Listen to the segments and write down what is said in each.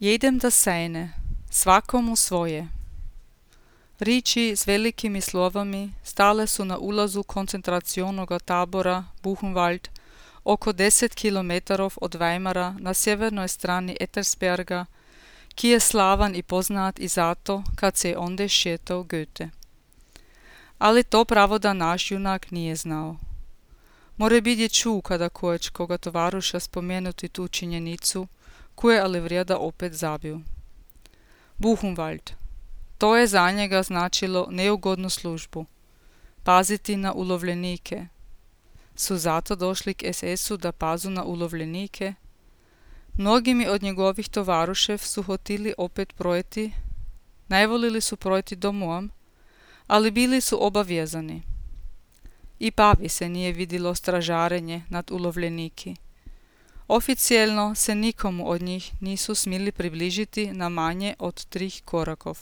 Jedem da sejne, svakomu svoje. Riči s velikimi slovami stale su na ulazu koncentracionoga tabora Buchenwald, oko 10 kilometrov od Weimara na sjevernoj strani Ettersberga, ki je slavan i poznat i zato kad se je onde šetao Goethe. Ali to pravo da naš junak nije znao. Morebit je čuo kada kojeć koga tovaruša spomenuti tu činjenicu, koje ali vrijeda opet zabiju. Buchenwald. To je za njega značilo neugodnu službu. Paziti na ulovljenike. Su zato došli k SS-u da pazu na ulovljenike? Mnogimi od njegovih tovarušev su hotili opet projeti, najvolili su projeti domom, ali bili su obavezani. I Pavi se nije vidilo stražarenje nad ulovljeniki. Oficijelno se nikomu od njih nisu smili približiti na manje od 3 korakov.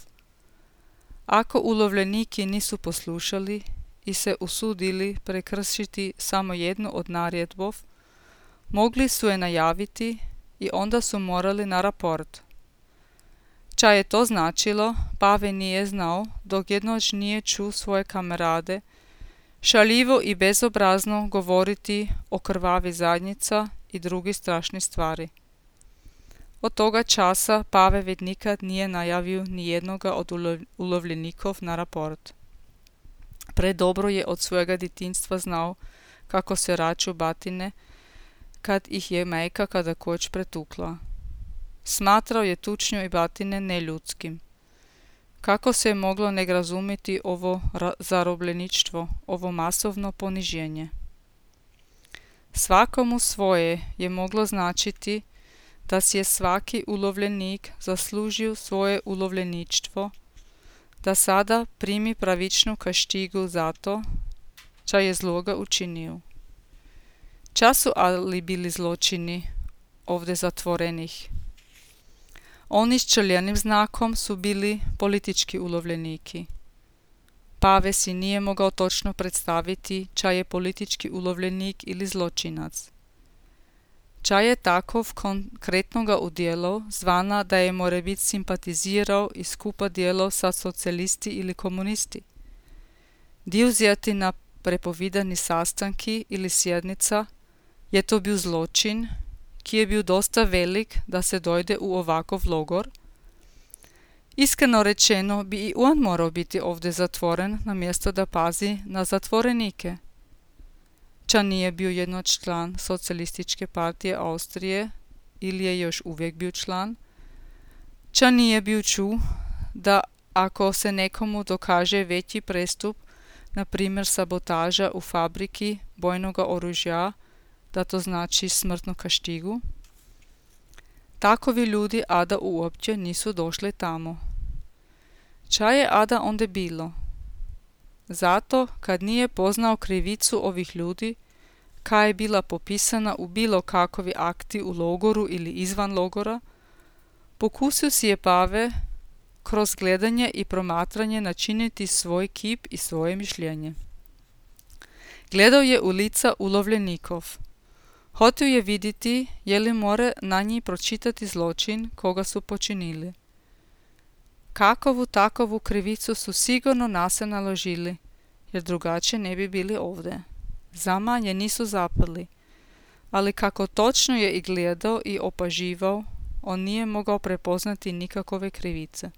Ako ulovljeniki nisu poslušali i se usudili prekršiti samo jednu od naredbov, mogli su je najaviti i onda su morali na raport. Ča je to značilo, Pave nije znao, dok jednoć nije čuo svoje kamerade šaljivo i bezobrazno govoriti o krvavi zadnjica i drugi strašni stvari. Od toga časa Pave već nikad nije najavio ni jednoga od ulovljenikov na raport. Predobro je od svojega djetinjstva znao kako se raču batine kad ih je majka kada koć pretukla. Smatrao je tučnju i batine neljudskim. Kako se je moglo ne razumjeti ovo zarobljeništvo, ovo masovno poniženje? Svakomu svoje je moglo značiti da si je svaki ulovljenik zaslužio svoje ulovljeništvo, da sada primi pravičnu kaštigu za to, ča je zloga učinio. Ča su ali bili zločini ovdje zatvorenih? Oni s črljenim znakom su bili politički ulovljeniki. Pave si nije mogao točno predstaviti ča je politički ulovljenik ili zločinac. Ča je takov konkretno ga udjelao, zvana da je morebit simpatizirao i skupa djelao sa socijalisti ili komunisti. Dio vzeti na prepovidani sastanki ili sjednica, je to bil zločin, ki je bil dosta velik da se dojde u ovakov logor. Iskreno rečeno bi i on morao biti ovdje zatvoren na mjesto da pazi na zatvorenike. Ča nije bio jednoć član Socijalističke partije Austrije ili je još uvijek bio član. Ča nije bio čuo da ako se nekomu dokaže veći prestup, na primjer sabotaža u fabriki bojnoga oružja, da to znači smrtnu kaštigu. Takovi ljudi ada uopće nisu došli tamo. Ča je ada onda bilo? Zato kad nije poznao krivicu ovih ljudi, kaj je bila popisana u bilo kakovi akti u logoru ili izvan logora, pokusio si je Pave kroz gledanje i promatranje načiniti svoj kip i svoje mišljenje. Gledao je u lica ulovljenikov. Hotio je vidjeti je li more na njih pročitati zločin koga su počinili. Kakovu takovu krivicu su sigurno na se naložili, jer drugačije ne bi bili ovdje. Zama je nisu zapali, ali kako točno je i gledao i opaživao, on nije mogao prepoznati nikakove krivice.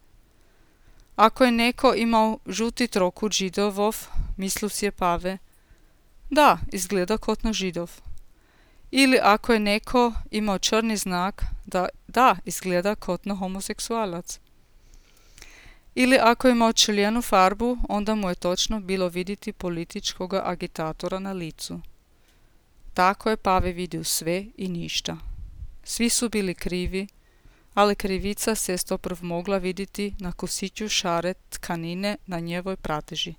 Ako je neko imao žuti trokut židovov, mislio si je Pave, da, izgleda kotno židov. Ili ako je neko imao črni znak, da, izgleda kotno homoseksualac. Ili ako je imao črljenu farbu, onda mu je točno bilo vidjeti političkoga agitatora na licu. Tako je Pave vidio sve i ništa. Svi su bili krivi, ali krivica se stoprv mogla vidjeti na kosiću šare tkanine na njevoj prateži.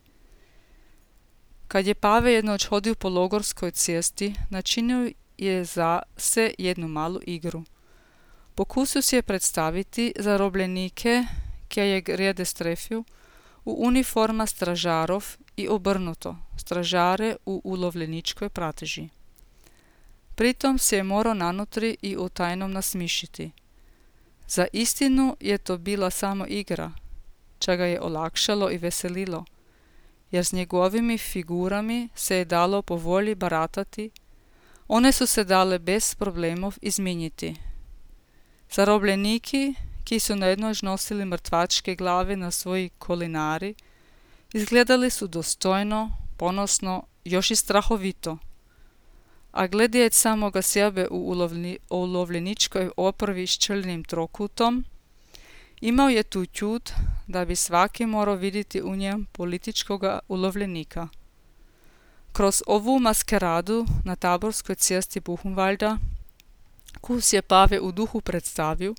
Kad je Pave jednoć hodio po logorskoj cesti, načinio je za se jednu malu igru. Pokusio si je predstaviti zarobljenike, kje je grede strefil, u uniforma stražarov i obrnuto, stražare u ulovljeničkoj prateži. Pritom se je morao nanutri i u tajnom nasmišiti. Za istinu je to bila samo igra, ča ga je olakšalo i veselilo, jer s njegovimi figurami se je dalo po volji baratati, one su se dale bez problemov izminjiti. Zarobljeniki, ki su nejednož nosili mrtvačke glave na svoji kolinari, izgledali su dostojno, ponosno, još i strahovito. A gledjeć samoga sebe u ulovljeničkoj oprvi s črnim trokutom, imao je tu ćud da bi svaki morao vidjeti u njem političkoga ulovljenika. Kroz ovu maskeradu na taborskoj cesti Buchenwalda, kus je Pave u duhu predstavio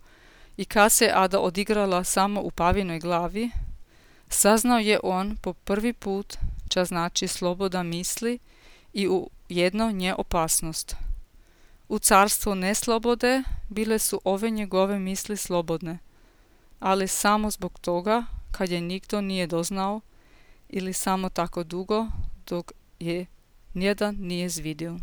i ka se Ada odigrala samo u Pavinoj glavi, saznao je on po prvi put ča znači sloboda misli i u jedno nje opasnost. U carstvu neslobode bile su ove njegove misli slobodne, ali samo zbog toga kad je nikdo nije doznao ili samo tako dugo dok je nijedan nije zvidio.